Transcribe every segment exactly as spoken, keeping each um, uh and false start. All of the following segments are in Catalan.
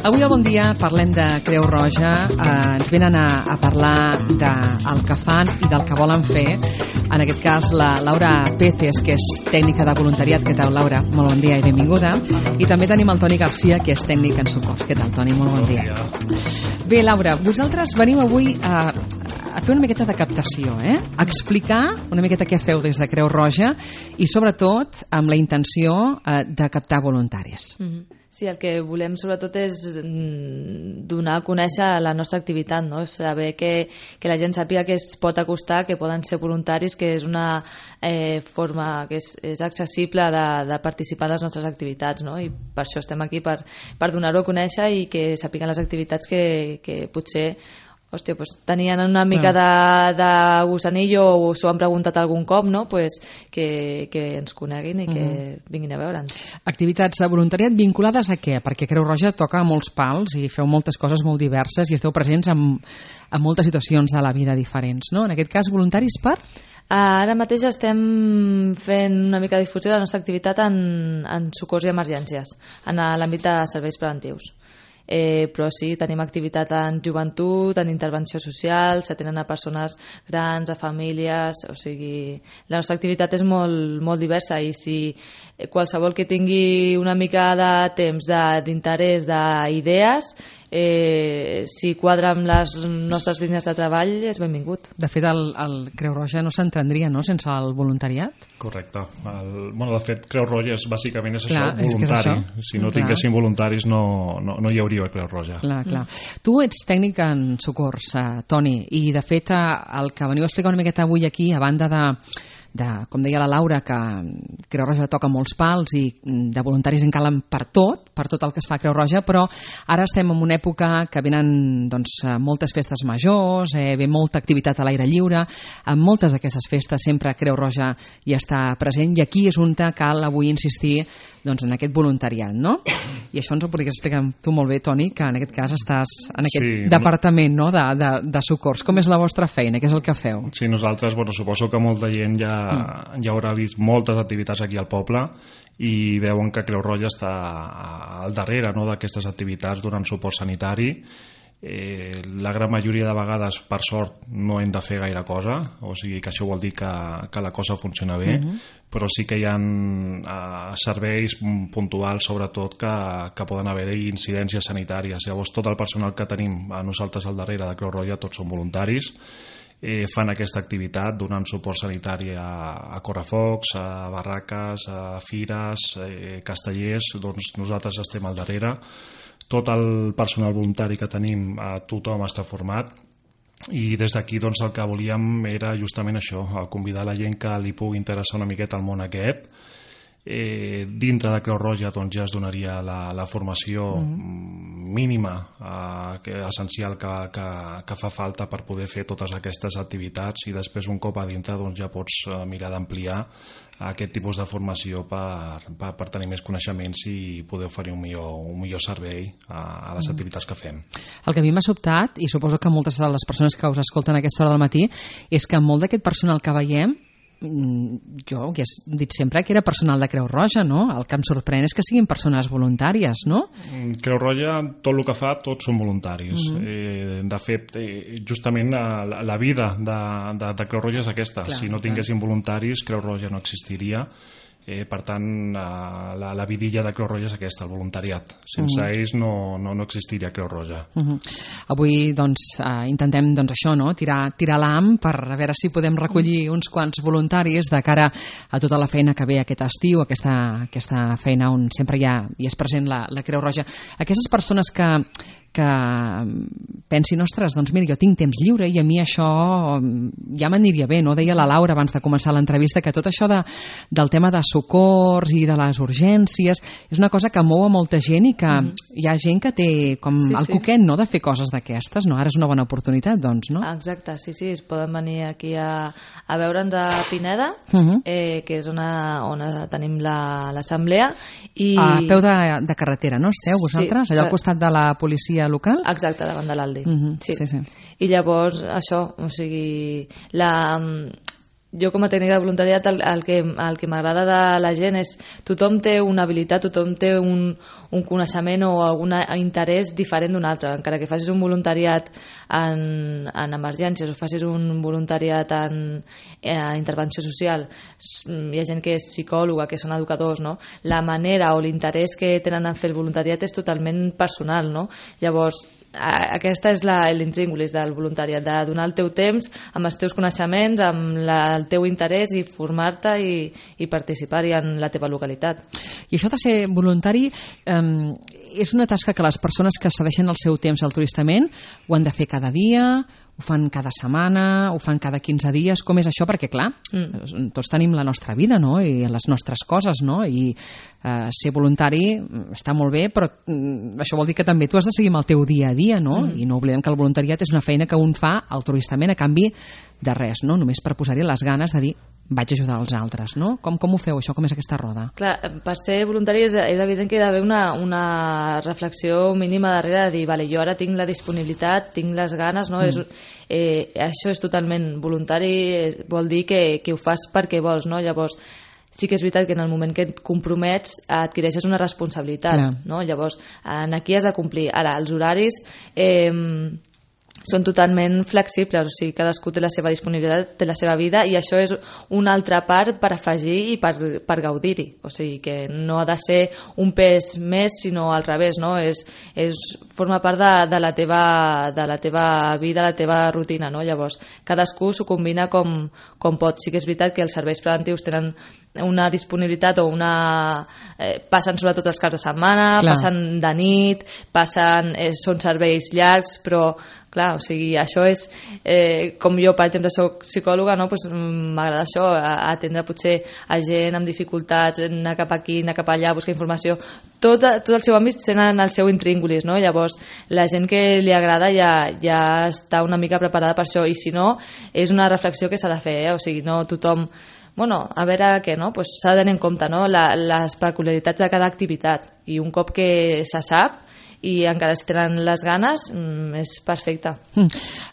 Avui al Bon Dia parlem de Creu Roja, eh, ens venen a, a parlar del que fan i del que volen fer. En aquest cas la Laura Peces, que és tècnica de voluntariat. Què tal, Laura? Molt bon dia i benvinguda. I també tenim el Toni Garcia, que és tècnic en socors. Què tal, Toni? Molt bon dia. Bé, Laura, vosaltres veniu avui a, a fer una miqueta de captació, eh? A explicar una miqueta què feu des de Creu Roja i sobretot amb la intenció eh, de captar voluntaris. Mm-hmm. Sí, el que volem sobretot és donar a conèixer la nostra activitat, no? Saber que, que la gent sàpiga que es pot acostar, que poden ser voluntaris, que és una eh, forma que és, és accessible de, de participar en les nostres activitats, no? I per això estem aquí, per, per donar-ho a conèixer i que sàpiguen les activitats que, que potser hòstia, pues, tenien una mica de, de gusanillo o s'ho han preguntat algun cop, no? Pues que, que ens coneguin i que uh-huh. vinguin a veure'ns. Activitats de voluntariat vinculades a què? Perquè Creu Roja toca molts pals i feu moltes coses molt diverses i esteu presents en, en moltes situacions de la vida diferents, no? En aquest cas, voluntaris per? Ara mateix estem fent una mica de difusió de la nostra activitat en, en socors i emergències, en l'àmbit de serveis preventius. Eh, però sí, tenim activitat en joventut, en intervenció social, s'atenen a persones grans, a famílies, o sigui, la nostra activitat és molt, molt diversa i si qualsevol que tingui una mica de temps, d'interès, d'idees, eh, si quadra amb les nostres línies de treball és benvingut. De fet, el, el Creu Roja no s'entendria, no?, sense el voluntariat. Correcte. El, bueno, de fet, Creu Roja és, bàsicament és clar, això, voluntari. És això. Si no clar. tinguéssim voluntaris no, no, no hi hauria Creu Roja. Clar, clar. Mm. Tu ets tècnic en socors, uh, Toni, i de fet el que veniu a explicar una miqueta avui aquí, a banda de de, com deia la Laura, que Creu Roja toca molts pals i de voluntaris en calen per tot, per tot el que es fa a Creu Roja, però ara estem en una època que venen doncs, moltes festes majors, eh, ve molta activitat a l'aire lliure, en moltes d'aquestes festes sempre Creu Roja hi està present i aquí és on cal avui insistir doncs, en aquest voluntariat, no? I això ens ho podries explicar tu molt bé, Toni, que en aquest cas estàs en aquest sí, departament no? de, de, de socors. Com és la vostra feina? Què és el que feu? Sí, nosaltres, bueno, suposo que molta gent ja Mm. ja haurà vist moltes activitats aquí al poble i veuen que Creu Roja està al darrere no, d'aquestes activitats donant suport sanitari. Eh, la gran majoria de vegades, per sort, no hem de fer gaire cosa, o sigui que això vol dir que, que la cosa funciona bé, uh-huh. però sí que hi ha eh, serveis puntuals, sobretot, que, que poden haver-hi incidències sanitàries. Llavors, tot el personal que tenim a nosaltres al darrere de Creu Roja, tots són voluntaris, Eh, fan aquesta activitat donant suport sanitari a, a correfocs, a barraques, a fires, eh, castellers, doncs nosaltres estem al darrere. Tot el personal voluntari que tenim, eh, tothom està format i des d'aquí doncs, el que volíem era justament això, convidar la gent que li pugui interessar una miqueta el món aquest. Eh, dintre de Creu Roja doncs, ja es donaria la, la formació uh-huh. mínima eh, que, essencial que, que, que fa falta per poder fer totes aquestes activitats i després un cop a dintre doncs, ja pots eh, mirar d'ampliar aquest tipus de formació per, per, per tenir més coneixements i poder oferir un millor, un millor servei a, a les activitats que fem. El que a mi m'ha sobtat, i suposo que moltes de les persones que us escolten a aquesta hora del matí, és que molt d'aquest personal que veiem jo que he dit sempre que era personal de Creu Roja, no? El que em sorprèn és que siguin persones voluntàries, no? Creu Roja, tot el que fa, tots són voluntaris. Uh-huh. eh, de fet, eh, justament la, la vida de, de, de Creu Roja és aquesta. Clar, si no tinguéssim clar. voluntaris, Creu Roja no existiria. Eh, per tant, la, la vidilla de Creu Roja és aquesta, el voluntariat. Sense uh-huh. ells no, no, no existiria Creu Roja. Uh-huh. Avui doncs, eh, intentem doncs, això, no? tirar, tirar l'ham per a veure si podem recollir uns quants voluntaris de cara a tota la feina que ve aquest estiu, aquesta, aquesta feina on sempre hi, ha, hi és present la, la Creu Roja. Aquestes persones que, que pensin, ostres, doncs mira, jo tinc temps lliure i a mi això ja m'aniria bé, no? Deia la Laura abans de començar l'entrevista que tot això de, del tema de socors i de les urgències és una cosa que mou a molta gent i que mm. hi ha gent que té com sí, el sí. coquet, no?, de fer coses d'aquestes, no? Ara és una bona oportunitat, doncs, no? Exacte, sí, sí, es poden venir aquí a, a veure'ns a Pineda, uh-huh. eh, que és una, on tenim l'assemblea. I... A peu de, de carretera, no? Esteu vosaltres? Sí, allà al costat de la policia local? Exacte, davant de l'Aldi. Uh-huh. sí. Sí, sí. I llavors, això, o sigui, la, jo com a tècnica de voluntariat el, el que, el que m'agrada de la gent és tothom té una habilitat, tothom té un, un coneixement o algun interès diferent d'un altre, encara que facis un voluntariat en, en emergències o facis un voluntariat en eh, intervenció social. Hi ha gent que és psicòloga, que són educadors, no? La manera o l'interès que tenen en fer el voluntariat és totalment personal, no? Llavors, aquesta és l'intríngulis del voluntariat, de donar el teu temps amb els teus coneixements, amb la, el teu interès i formar-te i, i participar-hi en la teva localitat. I això de ser voluntari eh, és una tasca que les persones que cedeixen el seu temps altruistament ho han de fer cada dia, ho fan cada setmana, ho fan cada quinze dies. Com és això? Perquè, clar, mm. tots tenim la nostra vida, no? I les nostres coses, no? I eh, ser voluntari està molt bé, però mm, això vol dir que també tu has de seguir amb el teu dia a dia, no? Mm. I no oblidem que el voluntariat és una feina que un fa altruistament a canvi de res, no? Només per posar-hi les ganes de dir vaig ajudar els altres, no? Com, com ho feu, això? Com és aquesta roda? Clar, per ser voluntari és, és evident que hi ha d'haver una, una reflexió mínima darrere de dir, vale, jo ara tinc la disponibilitat, tinc les ganes, no? Mm. És, eh, això és totalment voluntari, vol dir que, que ho fas perquè vols, no? Llavors, sí que és veritat que en el moment que et compromets adquireixes una responsabilitat, Clar. No? Llavors, aquí has de complir. Ara, els horaris eh, són totalment flexibles, o sigui, cadascú té la seva disponibilitat, té la seva vida, i això és una altra part per afegir i per, per gaudir-hi. O sigui, que no ha de ser un pes més, sinó al revés, no? És, és, forma part de, de, la teva, de la teva vida, la teva rutina, no? Llavors, cadascú s'ho combina com, com pot. Sí que és veritat que els serveis preventius tenen una disponibilitat o una... Eh, passen sobretot els caps de setmana, Clar. Passen de nit, passen, eh, són serveis llargs, però clar, o sigui, això és eh, com jo, per exemple, soc psicòloga, no? Pues, m'agrada això, atendre potser a gent amb dificultats, anar cap aquí, anar cap allà, buscar informació, tot, tot el seu àmbit sent en el seu intríngulis, no? Llavors, la gent que li agrada ja, ja està una mica preparada per això, i si no, és una reflexió que s'ha de fer, eh? O sigui, no tothom... Bueno, a veure què, no? Pues s'ha de tenir en compte, no? La, les peculiaritats de cada activitat, i un cop que se sap i encara si tenen les ganes, és perfecte.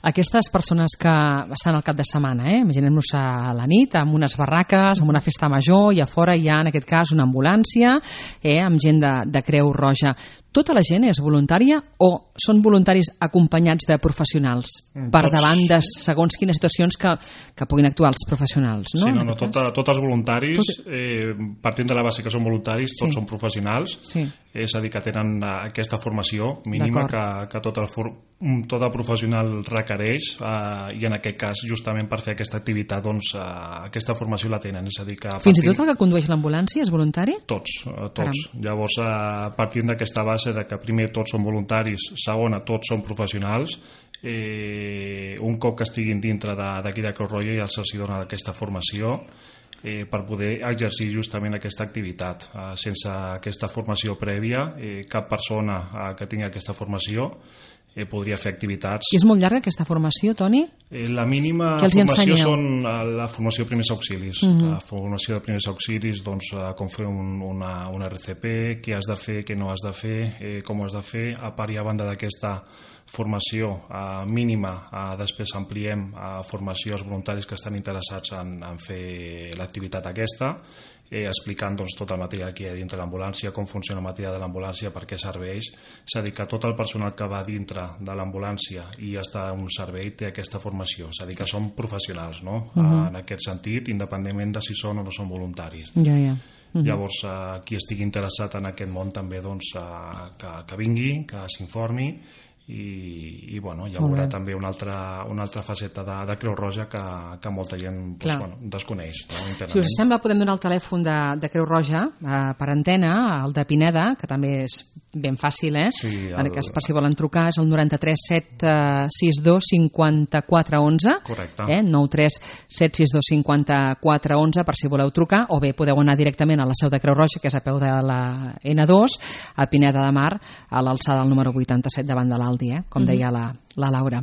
Aquestes persones que estan al cap de setmana, eh? Imaginem-nos a la nit, amb unes barraques, amb una festa major, i a fora hi ha, en aquest cas, una ambulància, eh? Amb gent de, de Creu Roja. Tota la gent és voluntària o són voluntaris acompanyats de professionals per tots, davant de segons quines situacions que, que puguin actuar els professionals, no? Sí, no, no, tot, tots els voluntaris, eh, partint de la base que són voluntaris, tots sí. són professionals, sí. és a dir, que tenen aquesta formació mínima que, que tot, el for, tot el professional requereix, eh, i en aquest cas, justament per fer aquesta activitat, doncs, eh, aquesta formació la tenen. És a dir, que fins i tot el que condueix l'ambulància és voluntari? Tots, eh, tots. Caram. Llavors, eh, partint d'aquesta base de que primer tots són voluntaris, segona, tots són professionals, eh, un cop que estiguin dintre d'aquí de, de Creu Roja ja se'ls dona aquesta formació eh, per poder exercir justament aquesta activitat. Eh, sense aquesta formació prèvia, eh, cap persona eh, que tingui aquesta formació eh, podria fer activitats. I és molt llarga aquesta formació, Toni? Eh, la mínima formació són la formació de primers auxilis. Uh -huh. La formació de primers auxilis, doncs, com fer un, una, una R C P, què has de fer, què no has de fer, eh, com ho has de fer. A part i a banda d'aquesta formació eh, mínima, eh, després ampliem a formació als voluntaris que estan interessats en, en fer l'activitat aquesta, eh, explicant doncs, tot el material que hi ha dintre l'ambulància, com funciona el material de l'ambulància, per què serveix. És a dir, que tot el personal que va dintre de l'ambulància i està en un servei té aquesta formació, és a dir, que són professionals, no? Uh -huh. En aquest sentit, independentment de si són o no són voluntaris. Ja, ja. Uh -huh. Llavors, eh, qui estigui interessat en aquest món també, doncs, eh, que, que vingui, que s'informi, i, i bueno, hi haurà també una altra, una altra faceta de, de Creu Roja que, que molta gent pues, bueno, desconeix, no? Si us sembla, podem donar el telèfon de, de Creu Roja eh, per antena, el de Pineda, que també és ben fàcil, eh? Sí, el... en aquest cas, per si volen trucar, és el noranta-tres set seixanta dos cinquanta-quatre onze. Correcte. Eh? nou tres set sis dos cinquanta-quatre onze, per si voleu trucar, o bé podeu anar directament a la seu de Creu Roja, que és a peu de la ena dos, a Pineda de Mar, a l'alçada del número vuitanta-set, davant de l'Aldi, eh? com deia la, la Laura.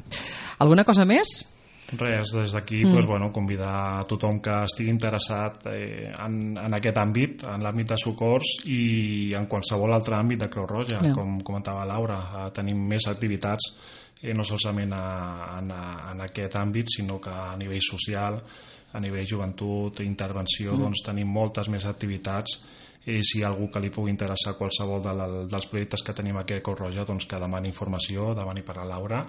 Alguna cosa més? Res, des d'aquí mm. pues, bueno, convidar a tothom que estigui interessat eh, en, en aquest àmbit, en l'àmbit de socors i en qualsevol altre àmbit de Creu Roja, no. com comentava Laura, eh, tenim més activitats eh, no solament a, en, a, en aquest àmbit, sinó que a nivell social a nivell joventut, intervenció, mm. doncs tenim moltes més activitats, i si hi ha algú que li pugui interessar qualsevol de la, dels projectes que tenim aquí a Creu Roja, doncs que demani informació, demani per a Laura.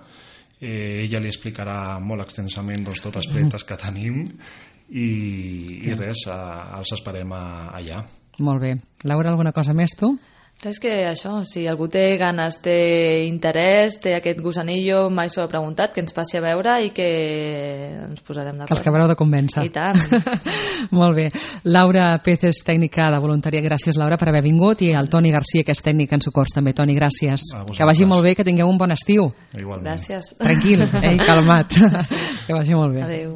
Eh, ella li explicarà molt extensament doncs, tots els projectes que tenim i, i res, a, els esperem a, allà. Molt bé. Laura, alguna cosa més tu? És que això, si algú té ganes, té interès, té aquest gusanillo, mai s'ho ha preguntat, que ens passi a veure i que ens posarem d'acord. Que els acabareu de convèncer. I tant. Molt bé. Laura Pez és tècnica de voluntària. Gràcies, Laura, per haver vingut, i el Toni Garcia, que és tècnic en socors també. Toni, gràcies. Que vagi molt bé, que tingueu un bon estiu. Igualment. Gràcies. Tranquil, eh? Calmat. Que vagi molt bé. Adéu.